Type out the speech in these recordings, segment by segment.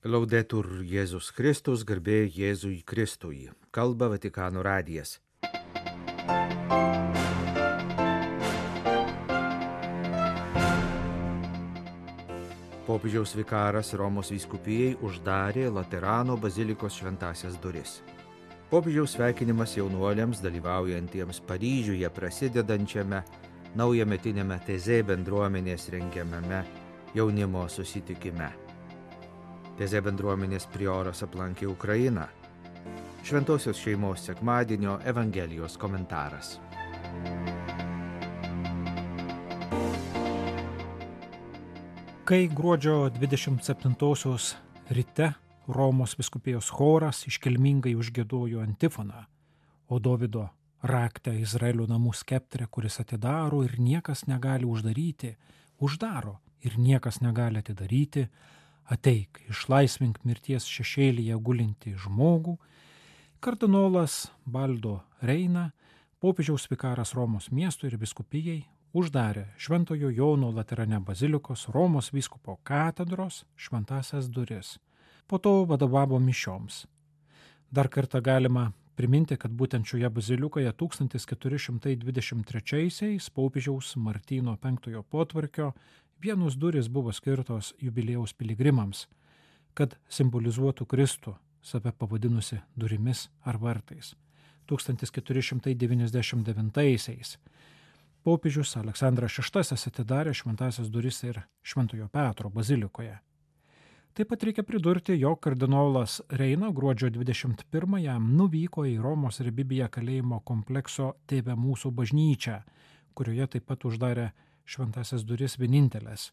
Laudetur Jėzus Kristus, garbė Jėzui Kristui. Kalba Vatikano radijas. Popiežiaus vikaras Romos vyskupijai uždarė Laterano bazilikos šventasias duris. Popiežiaus sveikinimas jaunuoliams dalyvaujantiems Paryžiuje prasidedančiame naujametiniame Tezė bendruomenės rengiamame jaunimo susitikime. Tezė bendruomenės prioras aplankė Ukrainą. Šventosios šeimos sekmadienio Evangelijos komentaras. Kai gruodžio 27-osios ryte Romos vyskupijos choras iškilmingai užgiedojo antifoną, o Dovydo raktą Izraelio namų skeptrę, kuris atidaro ir niekas negali uždaryti, uždaro ir niekas negali atidaryti, ateik, išlaisvink mirties šešėlyje gulinti žmogų, kardinolas Baldo Reina, popiežiaus vikaras Romos miestui ir vyskupijai, uždarė Šventojo Jono Laterane bazilikos Romos vyskupo katedros šventasias duris. Po to vadovavo mišioms. Dar kartą galima priminti, kad būtent šioje bazilikoje 1423-aisiais popiežiaus Martyno V potvarkio vienos durys buvo skirtos jubiliejaus piligrimams, kad simbolizuotų Kristų, save pavadinusi durimis ar vartais. 1499-aisiais popiežius Aleksandras VI atidarė šventasias duris ir Šventojo Petro bazilikoje. Taip pat reikia pridurti, jog kardinolas Reina gruodžio 21-ąją nuvyko į Romos ir Bibiją kalėjimo komplekso Tėve mūsų bažnyčią, kurioje taip pat uždarė šventasias duris vienintelės,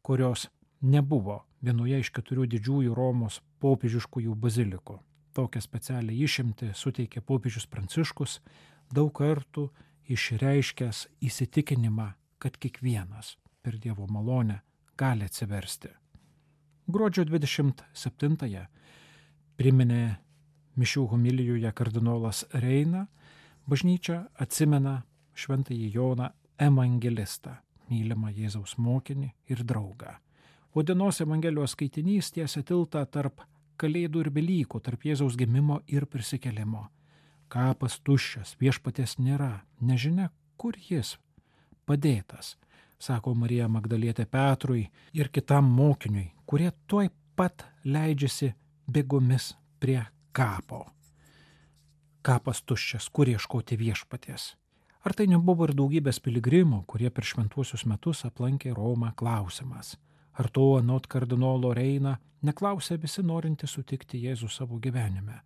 kurios nebuvo vienoje iš 4 didžiųjų Romos popiežiškųjų bazilikų. Tokią specialią išimtį suteikė popiežius Pranciškus, daug kartų išreiškęs įsitikinimą, kad kiekvienas per Dievo malonę gali atsiversti. Gruodžio 27-ąją priminė mišių homilijoje kardinolas Reina, bažnyčia atsimena šventąjį Joną evangelistą, mylimą Jėzaus mokinį ir draugą. O dienos Evangelijos skaitinys tiesia tiltą tarp Kalėdų ir Velykų, tarp Jėzaus gimimo ir prisikėlimo. Kapas tuščias, viešpaties nėra, nežinia, kur jis padėtas, sako Marija Magdalietė Petrui ir kitam mokiniui, kurie tuoj pat leidžiasi bėgomis prie kapo. Kapas tuščias, kur ieškoti viešpaties. Ar tai nebuvo ir daugybės piligrimų, kurie per šventuosius metus aplankė Romą, klausimas? Ar to anot kardinolo Reina neklausė visi norinti sutikti Jėzų savo gyvenime?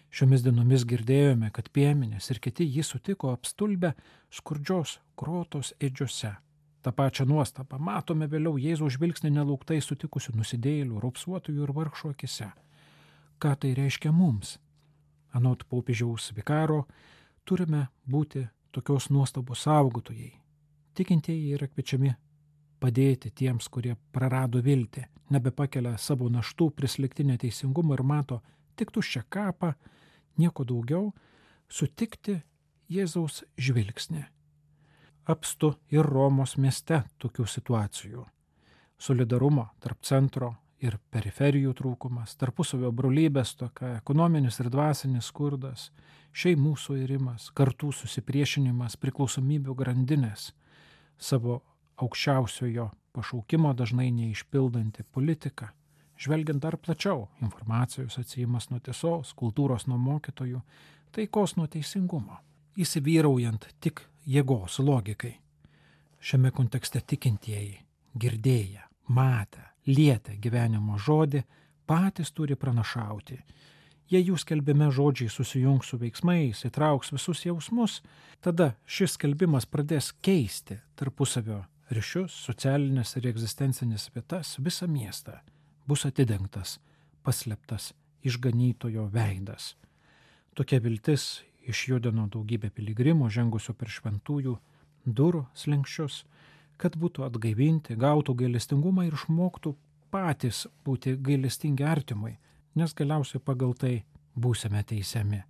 Šiomis dienomis girdėjome, kad piemenės ir kiti jį sutiko apstulbę skurdžios grotos ėdžiose. Ta pačią nuostabą matome vėliau Jėzaus žvilgsnį nelauktai sutikusių nusidėjėlių, raupsuotojų ir vargšų akise. Ką tai reiškia mums? Anot popiežiaus vikaro turime būti tokios nuostabos saugotojai. Tikintieji yra kviečiami padėti tiems, kurie prarado viltį, nebepakelia savo naštų, prislėgti neteisingumą ir mato tik tuščią kapą, nieko daugiau, sutikti Jėzaus žvilgsnį. Apstu ir Romos mieste tokių situacijų. Solidarumo tarp centro ir periferijų trūkumas, tarpusavio brolybės tokia, ekonominis ir dvasinis skurdas, šeimų suirimas, kartų susipriešinimas, priklausomybių grandinės, savo aukščiausiojo pašaukimo dažnai neišpildanti politika, žvelgiant dar plačiau, informacijos atsijimas nuo tiesos, kultūros nuo mokytojų, taikos nuo teisingumo, įsivyraujant tik jėgos logikai. Šiame kontekste tikintieji, girdėję, matę, lietę gyvenimo žodį, patys turi pranašauti. Jei jų skelbime žodžiai susijungs su veiksmais, įtrauks visus jausmus, tada šis skelbimas pradės keisti tarpusavio ryšius, socialinės ir egzistencinės vietas, visą miestą. Bus atidengtas, paslėptas išganytojo veidas. Tokia viltis išjudino daugybę piligrimų žengusių per šventųjų durų slenksčius, kad būtų atgaivinti, gautų gailestingumą ir išmoktų patys būti gailestingi artimui, nes galiausiai pagal tai būsime teisiami.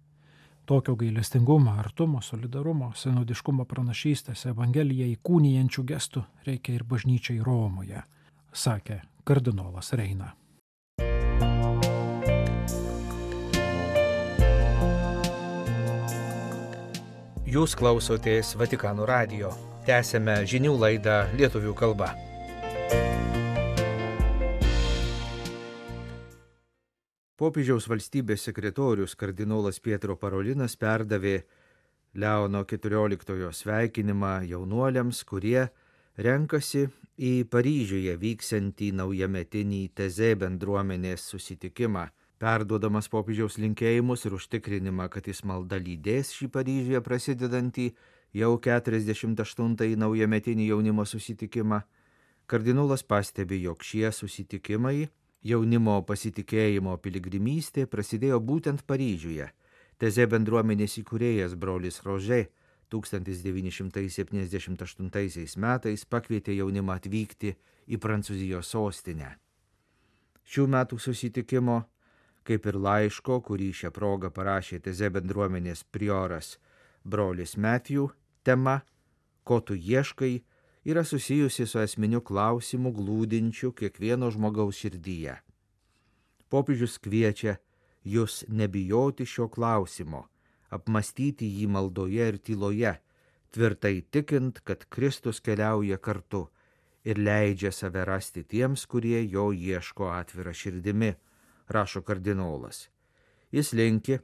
Tokio gailestingumo, artumo, solidarumo, sinodiškumo pranašystės Evangeliją įkūnijančių gestų reikia ir bažnyčiai Romoje, sakė kardinolas Reina. Jūs klausotės Vatikano radijo. Tęsėme žinių laidą lietuvių kalba. Popiežiaus valstybės sekretorius kardinolas Pietro Parolinas perdavė Leono XIV sveikinimą jaunuoliams, kurie renkasi į Paryžiuje vyksiantį naujametinį TZ bendruomenės susitikimą. Perduodamas popiežiaus linkėjimus ir užtikrinimą, kad jis malda lydės šį Paryžiuje prasidedantį jau 48-ąjį naujametinį jaunimo susitikimą, kardinolas pastebi, jog šie susitikimai, jaunimo pasitikėjimo piligrimystė, prasidėjo būtent Paryžiuje. TZ bendruomenės įkūrėjas brolis Rožė 1978 metais pakvietė jaunimą atvykti į Prancūzijos sostinę. Šių metų susitikimo, kaip ir laiško, kurį šią progą parašė TZ bendruomenės prioras brolis Matthew, tema "Ko tu ieškai" yra susijusi su esminiu klausimu glūdinčiu kiekvieno žmogaus širdyje. Popiežius kviečia jūs nebijoti šio klausimo, apmastyti jį maldoje ir tyloje, tvirtai tikint, kad Kristus keliauja kartu ir leidžia save rasti tiems, kurie jo ieško atvira širdimi, rašo kardinolas. Jis linki,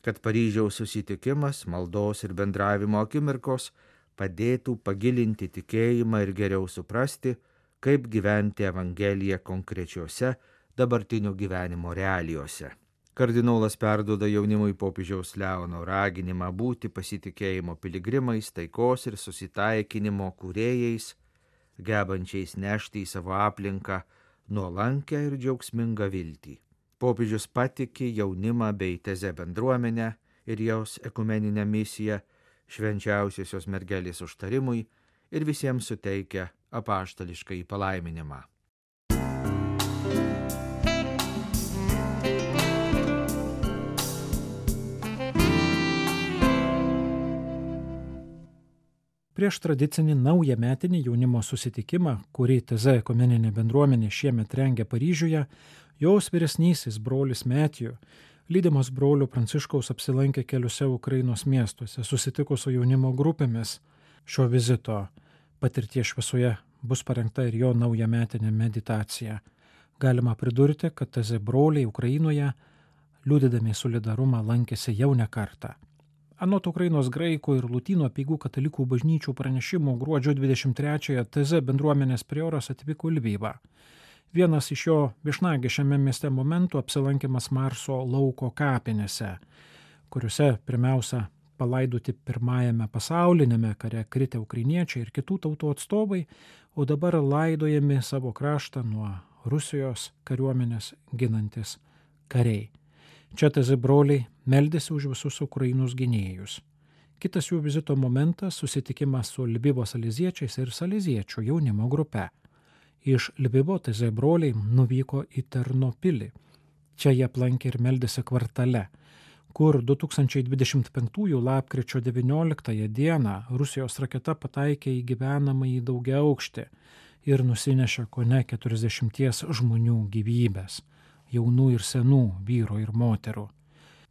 kad Paryžiaus susitikimas, maldos ir bendravimo akimirkos padėtų pagilinti tikėjimą ir geriau suprasti, kaip gyventi Evangeliją konkrečiose dabartinio gyvenimo realijose. Kardinolas perduoda jaunimui popiežiaus Leono raginimą būti pasitikėjimo piligrimais, taikos ir susitaikinimo kūrėjais, gebančiais nešti į savo aplinką nuolankę ir džiaugsmingą viltį. Popiežius patiki jaunimą bei TZ bendruomenę ir jos ekumeninę misiją švenčiausiosios mergelės užtarimui ir visiems suteikia apaštališkąjį palaiminimą. Prieš tradicinį naujametinį jaunimo susitikimą, kurį TZ ekumeninė bendruomenė šiemet rengia Paryžiuje, jos vyresnysis brolis Matthew, lydimas brolio Pranciškaus, apsilankė keliose Ukrainos miestuose, susitiko su jaunimo grupėmis. Šio vizito patirties šviesoje bus parengta ir jo naujametinė meditacija. Galima pridurti, kad TZ broliai Ukrainoje, liudydami solidarumą, lankėsi jau ne kartą. Anot Ukrainos graikų ir lotynų apeigų katalikų bažnyčių pranešimų gruodžio 23-ąją TZ bendruomenės prioras atvyko į Lvivą. Vienas iš jo viešnagė šiame mieste momentų apsilankimas Marso lauko kapinėse, kuriuose pirmiausia palaidoti pirmajame pasaulinėme kare kritę ukrainiečiai ir kitų tautų atstovai, o dabar laidojami savo kraštą nuo Rusijos kariuomenės ginantis kariai. Čia TZ broliai meldėsi už visus Ukrainos gynėjus. Kitas jų vizito momentas – susitikimas su Lvivo saleziečiais ir saleziečių jaunimo grupe. Iš Lvivo TZ broliai nuvyko į Ternopilį. Čia jie aplankė ir meldėsi kvartale, kur 2025 lapkričio 19 dieną Rusijos raketa pataikė į gyvenamąjį daugiaaukštį ir nusinešė kone 40 žmonių gyvybės, jaunų ir senų vyrų ir moterų.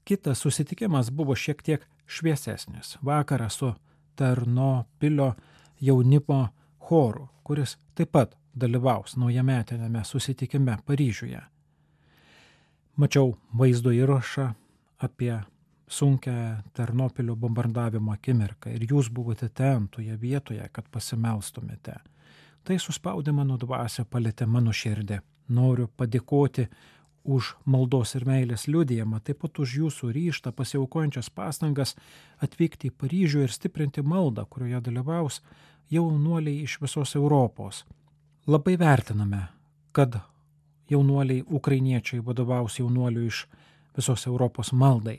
Kitas susitikimas buvo šiek tiek šviesesnis. Vakarą su Ternopilio jaunimo choru, kuris taip pat dalyvaus naujametinėme susitikime Paryžiuje. Mačiau vaizdo įrašą apie sunkią Ternopilio bombardavimo akimirką ir jūs buvote ten, toje vietoje, kad pasimelstumėte. Tai suspaudė mano dvasią, palietė mano širdį. Noriu padėkoti už maldos ir meilės liudijimą, taip pat už jūsų ryžtą, pasiaukojančias pastangas atvykti į Paryžių ir stiprinti maldą, kurioje dalyvaus jaunuoliai iš visos Europos. Labai vertiname, kad jaunuoliai ukrainiečiai vadovaus jaunuolių iš visos Europos maldai.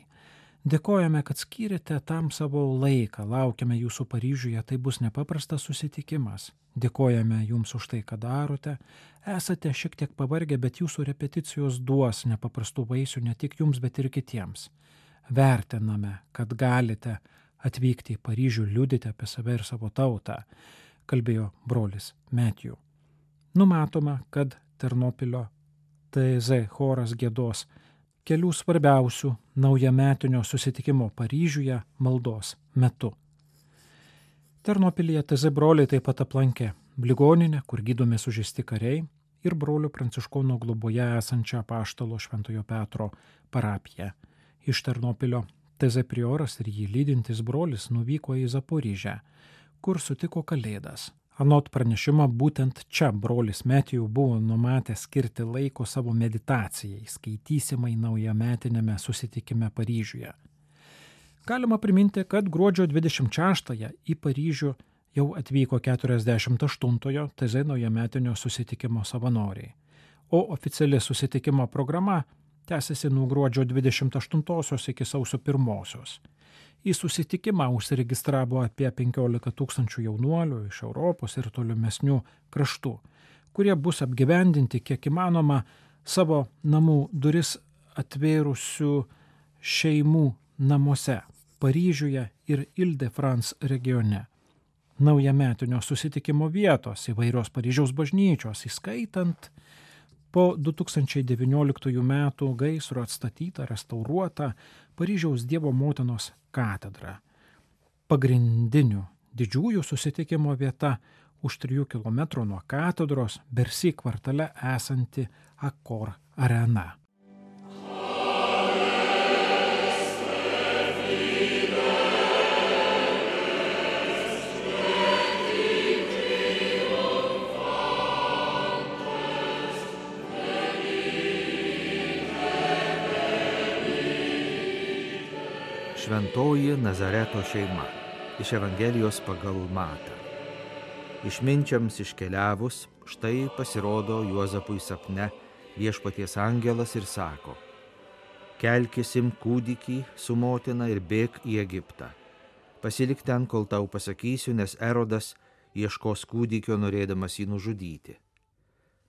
Dėkojame, kad skyrėte tam savo laiką, laukiame jūsų Paryžiuje, tai bus nepaprastas susitikimas. Dėkojame jums už tai, ką darote. Esate šiek tiek pavargę, bet jūsų repeticijos duos nepaprastų vaisių ne tik jums, bet ir kitiems. Vertiname, kad galite atvykti į Paryžių, liudyti apie save ir savo tautą, kalbėjo brolis Matthew. Numatoma, kad Ternopilio TZ choras giedos kelių svarbiausių naujametinio susitikimo Paryžiuje maldos metu. Ternopilyje TZ broliai taip pat aplankė ligoninę, kur gydomi sužeisti kariai, ir brolių pranciškonų globoje esančią apaštalo Šventojo Petro parapiją. Iš Ternopilio TZ prioras ir jį lydintis brolis nuvyko į Zaporižę, kur sutiko Kalėdas. Anot pranešimą, būtent čia brolis Metijų buvo numatęs skirti laiko savo meditacijai, skaitysimai naujametinėme susitikime Paryžiuje. Galima priminti, kad gruodžio 26-ąją į Paryžių jau atvyko 48-ojo TZ naujametinio susitikimo savanoriai, o oficiali susitikimo programa tęsiasi nuo gruodžio 28-osios iki sausio 1-osios. Į susitikimą užsiregistravo apie 15 000 jaunuolių iš Europos ir tolimesnių kraštų, kurie bus apgyvendinti kiek įmanoma savo namų duris atvėrusių šeimų namuose Paryžiuje ir Ile-de-France regione. Naujametinio susitikimo vietos įvairios Paryžiaus bažnyčios, įskaitant po 2019 metų gaisro atstatytą, restauruotą Paryžiaus Dievo motinos katedrą. Pagrindinių didžiųjų susitikimo vieta už 3 km nuo katedros Bercy kvartale esanti Accor arena. Šventoji Nazareto šeima iš Evangelijos pagal Matą. Išminčiams iškeliavus, štai pasirodo Juozapui sapne viešpaties angelas ir sako: kelkis, imk kūdikį su motina ir bėk į Egiptą. Pasilik ten, kol tau pasakysiu, nes Erodas ieškos kūdikio, norėdamas jį nužudyti.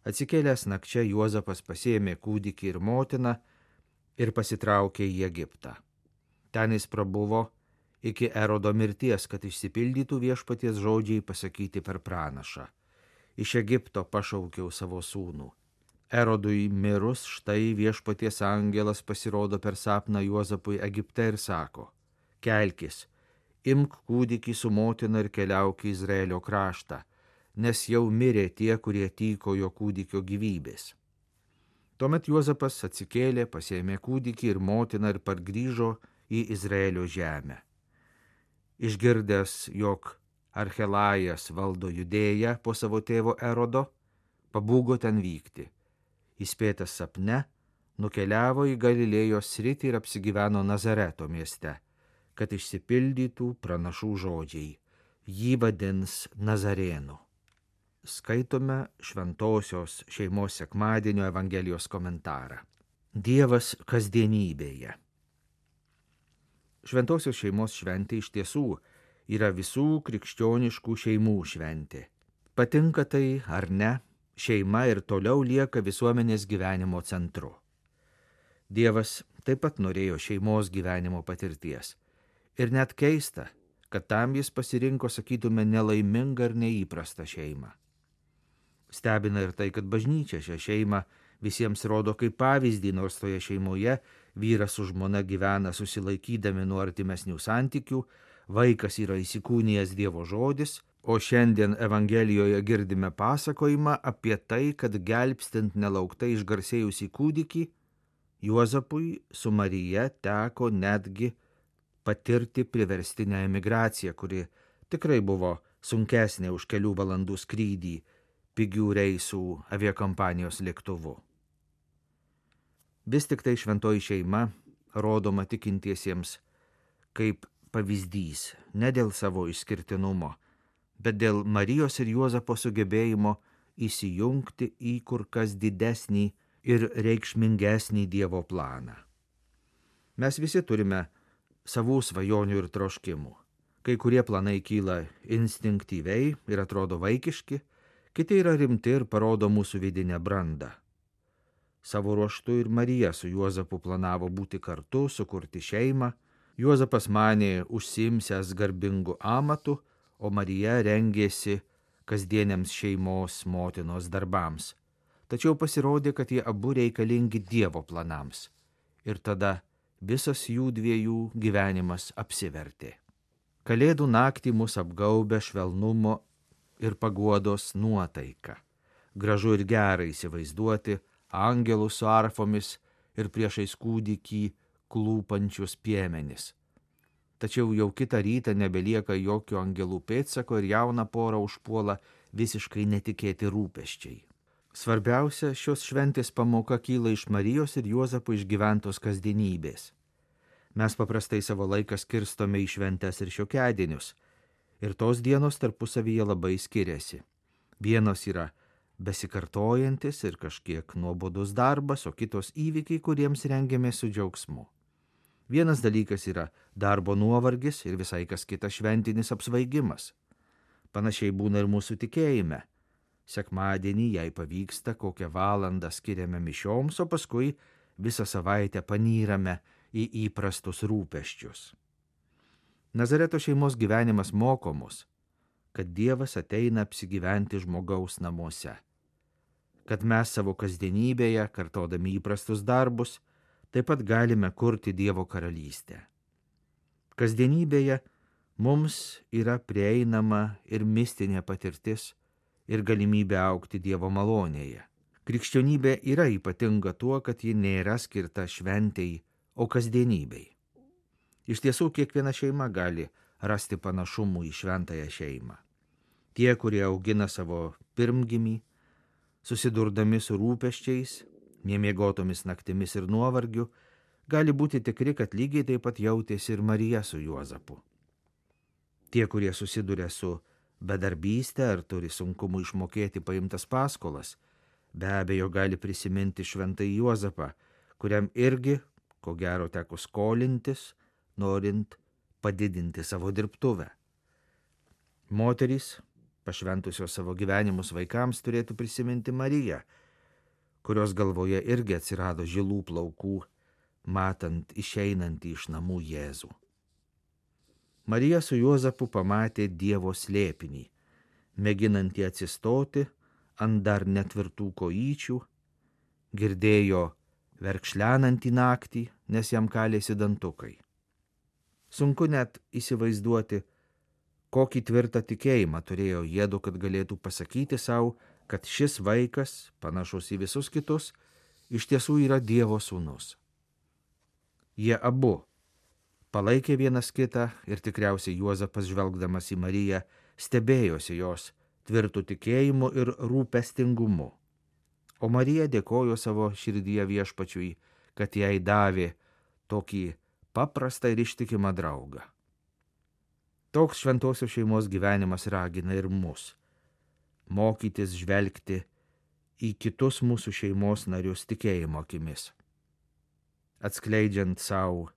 Atsikėlęs nakčia, Juozapas pasiėmė kūdikį ir motiną ir pasitraukė į Egiptą. Ten jis prabuvo iki Erodo mirties, kad išsipildytų viešpaties žodžiai pasakyti per pranašą: iš Egipto pašaukiau savo sūnų. Erodui mirus, štai viešpaties angelas pasirodo per sapną Juozapui Egipte ir sako: kelkis, imk kūdikį su motina ir keliauk į Izraelio kraštą, nes jau mirė tie, kurie tykojo kūdikio gyvybės. Tuomet Juozapas atsikėlė, pasiėmė kūdikį ir motiną ir pargrįžo į Izraelio žemę. Išgirdęs, jog Archelajas valdo Judėją po savo tėvo Erodo, pabūgo ten vykti. Įspėtas sapne, nukeliavo į Galilėjos sritį ir apsigyveno Nazareto mieste, kad išsipildytų pranašų žodžiai: jį vadins Nazarėnu. Skaitome Šventosios šeimos sekmadienio Evangelijos komentarą. Dievas kasdienybėje. Šventosios šeimos šventė iš tiesų yra visų krikščioniškų šeimų šventė. Patinka tai ar ne, šeima ir toliau lieka visuomenės gyvenimo centru. Dievas taip pat norėjo šeimos gyvenimo patirties. Ir net keista, kad tam jis pasirinko, sakytume, nelaimingą ir neįprastą šeimą. Stebina ir tai, kad bažnyčia šią šeimą visiems rodo kaip pavyzdį, nors toje šeimoje vyras su žmona gyvena susilaikydami nuo artimesnių santykių, vaikas yra įsikūnijęs Dievo žodis, o šiandien Evangelijoje girdime pasakojimą apie tai, kad gelbstint nelauktai išgarsėjusį kūdikį, Juozapui su Marija teko netgi patirti priverstinę emigraciją, kuri tikrai buvo sunkesnė už kelių valandų skrydį pigių reisų aviakompanijos lėktuvu. Vis tik tai šventoji šeima rodoma tikintiesiems kaip pavyzdys, ne dėl savo išskirtinumo, bet dėl Marijos ir Juozapo sugebėjimo įsijungti į kur kas didesnį ir reikšmingesnį Dievo planą. Mes visi turime savų svajonių ir troškimų. Kai kurie planai kyla instinktyviai ir atrodo vaikiški, kiti yra rimti ir parodo mūsų vidinę brandą. Savo ruožtu ir Marija su Juozapu planavo būti kartu, sukurti šeimą. Juozapas manė užsiimsiąs garbingu amatu, o Marija rengėsi kasdieniams šeimos motinos darbams. Tačiau pasirodė, kad jie abu reikalingi Dievo planams. Ir tada visas jų dviejų gyvenimas apsivertė. Kalėdų naktį mus apgaubia švelnumo ir paguodos nuotaika. Gražu ir gera įsivaizduoti angelus su arfomis ir priešais kūdikį klūpančius piemenis. Tačiau jau kitą rytą nebelieka jokio angelų pėdsako ir jauną porą užpuola visiškai netikėti rūpesčiai. Svarbiausia šios šventės pamoka kyla iš Marijos ir Juozapo išgyventos kasdienybės. Mes paprastai savo laiką skirstome į šventes ir šiokiadienius, ir tos dienos tarpusavyje labai skiriasi. Vienos yra besikartojantis ir kažkiek nuobodus darbas, o kitos įvykiai, kuriems rengiamės su džiaugsmu. Vienas dalykas yra darbo nuovargis ir visai kas kitas šventinis apsvaigimas. Panašiai būna ir mūsų tikėjime. Sekmadienį, jei pavyksta, kokią valandą skiriame mišioms, o paskui visą savaitę panyrame į įprastus rūpesčius. Nazareto šeimos gyvenimas moko mus, kad Dievas ateina apsigyventi žmogaus namuose, kad mes savo kasdienybėje, kartodami įprastus darbus, taip pat galime kurti Dievo karalystę. Kasdienybėje mums yra prieinama ir mistinė patirtis ir galimybė augti Dievo malonėje. Krikščionybė yra ypatinga tuo, kad ji nėra skirta šventei, o kasdienybei. Iš tiesų, kiekviena šeima gali rasti panašumų į šventąją šeimą. Tie, kurie augina savo pirmgimį, susidurdami su rūpesčiais, nemiegotomis naktimis ir nuovargiu, gali būti tikri, kad lygiai taip pat jautėsi ir Marija su Juozapu. Tie, kurie susiduria su bedarbystė ar turi sunkumų išmokėti paimtas paskolas, be abejo gali prisiminti šventąjį Juozapą, kuriam irgi, ko gero, teko skolintis, norint padidinti savo dirbtuvę. Moterys, pašventusios savo gyvenimus vaikams, turėtų prisiminti Mariją, kurios galvoje irgi atsirado žilų plaukų, matant išeinantį iš namų Jėzų. Marija su Juozapu pamatė Dievo slėpinį, mėginantį atsistoti ant dar netvirtų kojyčių, girdėjo verkšlenantį naktį, nes jam kalėsi dantukai. Sunku net įsivaizduoti, kokį tvirtą tikėjimą turėjo jiedu, kad galėtų pasakyti savo, kad šis vaikas, panašus į visus kitus, iš tiesų yra Dievo sūnus. Jie abu palaikė vienas kitą ir tikriausiai Juozapas, žvelgdamas į Mariją, stebėjosi jos tvirtų tikėjimu ir rūpestingumu. O Marija dėkojo savo širdyje Viešpačiui, kad jai davė tokį paprastą ir ištikimą draugą. Toks šventosios šeimos gyvenimas ragina ir mus mokytis žvelgti į kitus mūsų šeimos narius tikėjimo akimis, atskleidžiant savo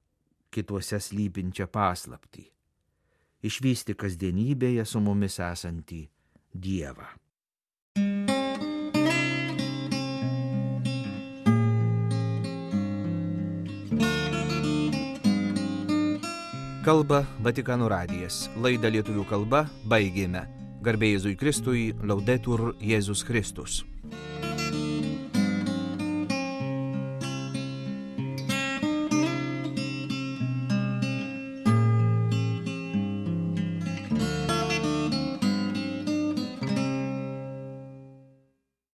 kituose slypinčią paslaptį, išvysti kasdienybėje su mumis esantį Dievą. Kalba Vatikano radijas. Laidą lietuvių kalba baigėme. Garbė Jėzui Kristui, Laudetur Jėzus Kristus.